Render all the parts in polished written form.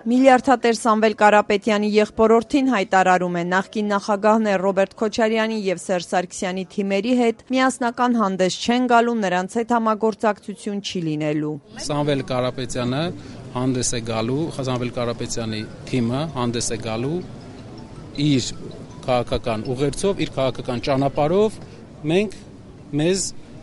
Միլիարդատեր Սամվել Կարապետյանի եղբորորդին հայտարարում է նախկին նախագահներ Ռոբերտ Քոչարյանի եւ Սերժ Սարգսյանի թիմերի հետ միասնական հանդես չեն գալու, նրանց հետ համագործակցություն չի լինելու։ Սամվել Կարապետյանը հանդես է գալու, Սամվել Կարապետյանի թիմը հանդես է գալու իր քաղաքական ուղերձով, իր քաղաքական ճանապարհով, մենք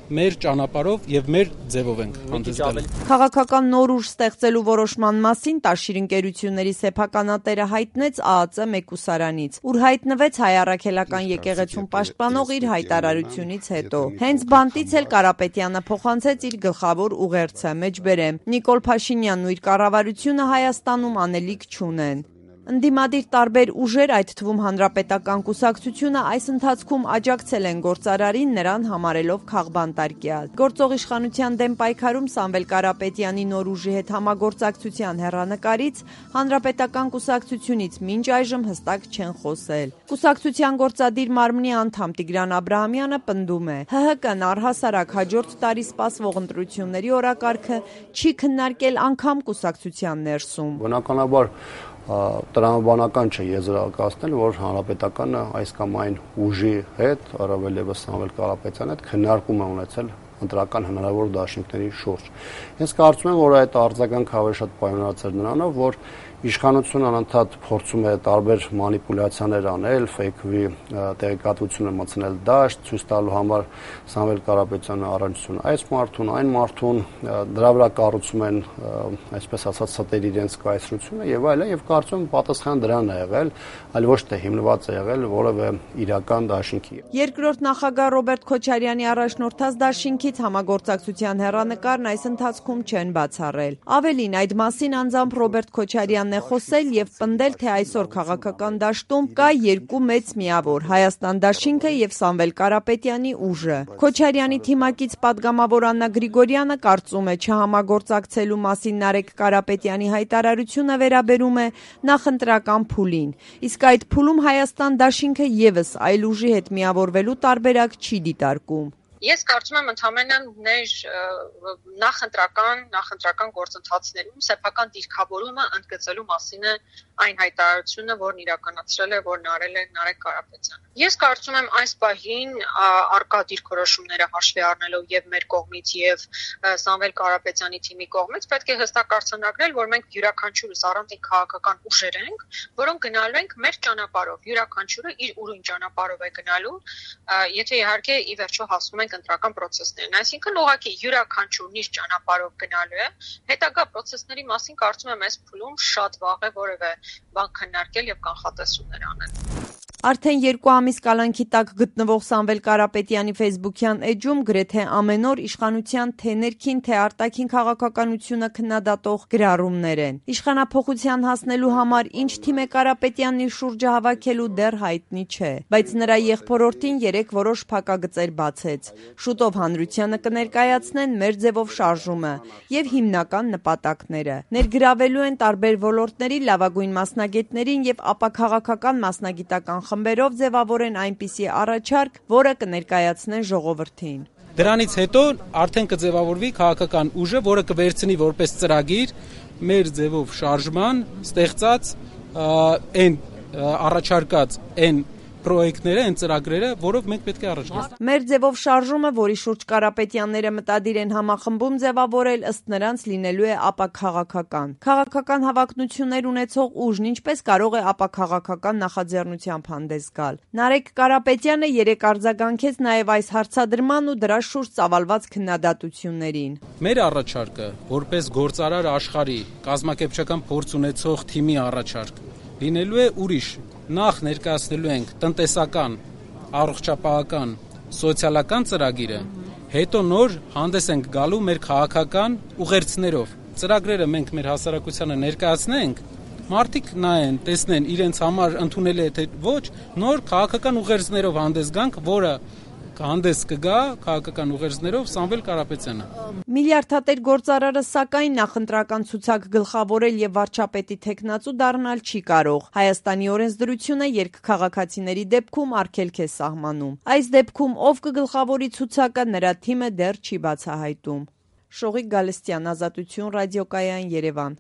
մեր ճանապարհով եւ մեր ձևով ենք հանդես գալու։ Քաղաքական նոր ուժ ստեղծելու որոշման մասին Տաշիր ընկերությունների սեփականատերը հայտնեց ԱԱԾ մեկուսարանից, ուր հայտնվեց հայ առաքելական եկեղեցուն պաշտպանող իր հայտարարությունից հետո։ Հենց բանտից էլ Կարապետյանը փոխանցեց իր գլխավոր ուղերձը, մեջբերեմ. Նիկոլ Փաշինյանն ու իր կառավարությունը Հայաստանում անելիք չունեն։ Ընդդիմադիր տարբեր ուժեր, այդ թվում Հանրապետական կուսակցությունը, այս ընթացքում աջակցել են գործարարին, նրան համարելով քաղբանտարկյալ։ Գործող իշխանության դեմ պայքարում Սամվել Կարապետյանի նոր ուժի հետ համագործակցության հեռանկարից Հանրապետական կուսակցությունից մինչ այժմ հստակ չեն խոսել։ Կուսակցության գործադիր մարմնի անդամ Տիգրան Աբրահամյանը պնդում է. ՀՀԿ-ն առհասարակ հաջորդ տարի սպասվող ընտրությունների օրակարգը չի քննարկել անգամ կուսակցության ներսում։ Բնականաբար տրամաբանական չէ եզրակացնել, որ Հանրապետականը այս կամ այն ուժի հետ, առավել ևս Սամվել Կարապետյանի հետ քննարկում է ունեցել ընտրական հնարավոր դաշինքների շուրջ։ Ես կարծում եմ, որ այդ արձագանքը ավելի շատ պայմանավորված էր նրանով, որ իշխանությունը անընդհատ փորձում է տարբեր մանիպուլյացիաներ անել, ֆեյքվի տեղեկատվությունը մտցնել դաշտ, ցույց տալու համար Սամվել Կարապետյանը առանցություն այս մարդուն, այն մարդուն, դրա վրա կառուցում են, այսպես ասած, ստեր իրենց կայսրությունը եւ այլն, եւ կարծում եմ պատասխանը դրան է եղել, այլ ոչ թե հիմնված է եղել որևէ իրական դաշինքի։ Երկրորդ նախագահ Ռոբերտ Քոչարյանի առաջնորդած դաշինքից համագործակցության հեռանկարն այս ընթացքում չեն բացառել։ Ավելին, այդ մասին անձամբ Ռոբերտ Քոչարյանն է խոսել եւ պնդել, թե այսօր քաղաքական դաշտում կա երկու մեծ միավոր՝ Հայաստան դաշինքը եւ Սամվել Կարապետյանի ուժը։ Քոչարյանի թիմակից падգամավոր Աննա Գրիգորյանը կարծում է, չհամագործակցելու մասին Նարեկ Կարապետյանի հայտարարությունը վերաբերում է նախընտրական փուլին, իսկ այդ փուլում Հայաստան դաշինքը եւս այլ ուժի հետ միավորվելու տարբերակ չի դիտարկում։ Ես կարծում եմ ընդհանրապես ներ նախընտրական գործընթացներում սեփական դիրքավորումը ընդգծելու մասին է այն հայտարարությունը, որն իրականացրել է, որն արել է Նարեկ Կարապետյանը։ Ես կարծում եմ այս պահին արկա դիրքորոշումները հաշվի առնելով եւ մեր կողմից եւ Սամվել Կարապետյանի թիմի կողմից պետք է հստակ արձանագրել, որ մենք յուրաքանչյուրս առանձին քաղաքական ուժեր ենք, որոնք գնալու ենք մեր ճանապարհով, յուրաքանչյուրը իր ուրույն ճանապարհով է գնալու, եթե իհարկե ի վերջո հասնում ենք ընտրական process-ներն, այսինքն ուղղակի յուրաքանչյուրն իր ճանապարհով գնալու է, հետագա process-ների մասին կարծում եմ այս փուլում շատ վաղ է որևէ բան քննարկել եւ կանխատեսումներ անել։ Արդեն 2 ամիս կալանքի տակ գտնվող Սամվել Կարապետյանի ֆեյսբուքյան էջում գրեթե ամեն օր իշխանության թե ներքին, թե արտաքին քաղաքականությունը քննադատող գրառումներ են։ Իշխանափոխության հասնելու համար ինչ թիմ է Կարապետյանն իր շուրջը հավաքելու դեռ հայտնի չէ, բայց նրա եղբորորդին 3 որոշ փակագծեր բացեց։ Շուտով հանրությանը կներկայացնեն մեր ձևով շարժումը եւ հիմնական նպատակները։ Ներգրավելու են տարբեր ոլորտների լավագույն մասնագետներին եւ ապաքաղաքական մասնագիտական խմբերով ձևավորեն այնպիսի առաջարկ, որը կներկայացնեն ժողովրդին։ Դրանից հետո արդեն կձևավորվի քաղաքական ուժը, որը կվերցնի որպես ծրագիր մեր ձևով շարժման ստեղծած այն առաջարկած այն պրոյեկտները, այն ծրագրերը, որով մենք պետք է առաջ գնանք։ Մեր ձևով շարժումը, որի շուրջ Կարապետյանները մտադիր են համախմբում ձևավորել, ըստ նրանց լինելու է ապաքաղաքական։ Քաղաքական հավակնություններ ունեցող ուժն ինչպես կարող է ապաքաղաքական նախաձեռնությամբ հանդես գալ։ Նարեկ Կարապետյանը 3 արձագանքեց նաև այս հարցադրման ու դրա շուրջ ծավալված քննադատություններին։ Մեր առաջարկը, որպես գործարար աշխարհի կազմակերպչական փորձ ունեցող թիմի առաջարկ, լինելու է ուրիշ։ Նախ ներկայացնելու ենք տնտեսական, առողջապահական, սոցիալական ծրագիրը, հետո նոր հանդես ենք գալու մեր քաղաքական ուղերձներով։ Ծրագրերը մենք մեր հասարակությանը ներկայացնենք, մարդիկ նայեն, տեսնեն իրենց համար ընդունել է թե ոչ, նոր քաղաքական ուղերձներով հանդես գանք, որը հանդես կգա քաղաքական ուղերձներով Սամվել Կարապետյանը։ Միլիարդատեր գործարարը սակայն նախընտրական ցուցակ գլխավորել եւ վարչապետի թեկնածու դառնալ չի կարող։ Հայաստանի օրենսդրությունը երկքաղաքացիների դեպքում արգելք է սահմանում։ Այս դեպքում ով կգլխավորի ցուցակը, նրա թիմը դեռ չի բացահայտում։ Շողիկ Գալստյան, Ազատություն ռադիոկայան, Երևան։